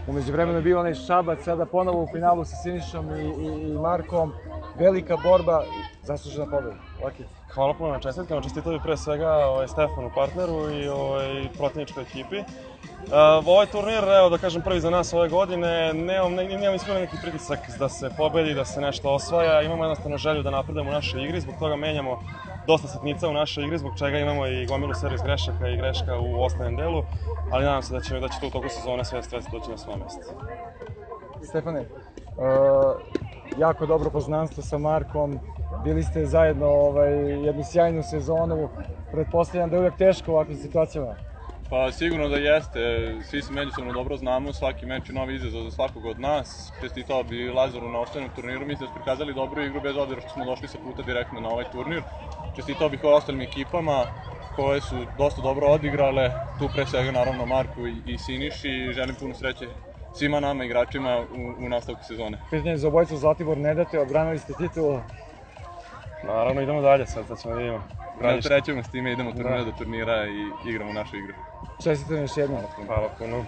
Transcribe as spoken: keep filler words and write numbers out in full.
Umeđu vremenu je bio onaj Šabac, sada ponovo u finalu sa Sinišom i, i, i Markom. Velika borba, zaslužena pobeda. Laki. Hvala puno na čestitkama, čestitao bih pre svega ovaj, Stefanu, partneru i ovaj, protivničkoj ekipi. Uh, ovaj turnir, evo da kažem prvi za nas ove godine, nemam, ne, nemam iskreno neki pritisak da se pobedi, da se nešto osvaja, imamo jednostavno želju da napredujemo u našoj igri, zbog toga menjamo dosta sitnica u našoj igri, zbog čega imamo i gomilu servis grešaka i greška u osnovnom delu, ali nadam se da će, da će to u toku sezone sve stres doći na svoje mesto. Stefane, uh, jako dobro poznanstvo sa Markom, bili ste zajedno ovaj, jednu sjajnu sezonu, pretpostavljam da je uvijek teško u ovakvim situacijama. Pa sigurno da jeste, svi se međusobno dobro znamo, svaki meč je novi izazov za svakog od nas. Čestitao bi Lazaru na osnovnom turniru, mislim da su prikazali dobru igru bez obzira što smo došli sa puta direktno na ovaj turnir. Čestitao bih ostalim ekipama koje su dosta dobro odigrale, tu pre svega naravno Marku i, i Siniši i želim puno sreće svima nama igračima u, u nastavku sezone. Pitanje za obojicu Zlatibor ne date, odbranili ste titulu. Naravno idemo dalje sad, sad ćemo vidimo. Ne trećemo s time, idemo turnira do turnira i igramo našu igru. Čestitam još jednom. Hvala puno.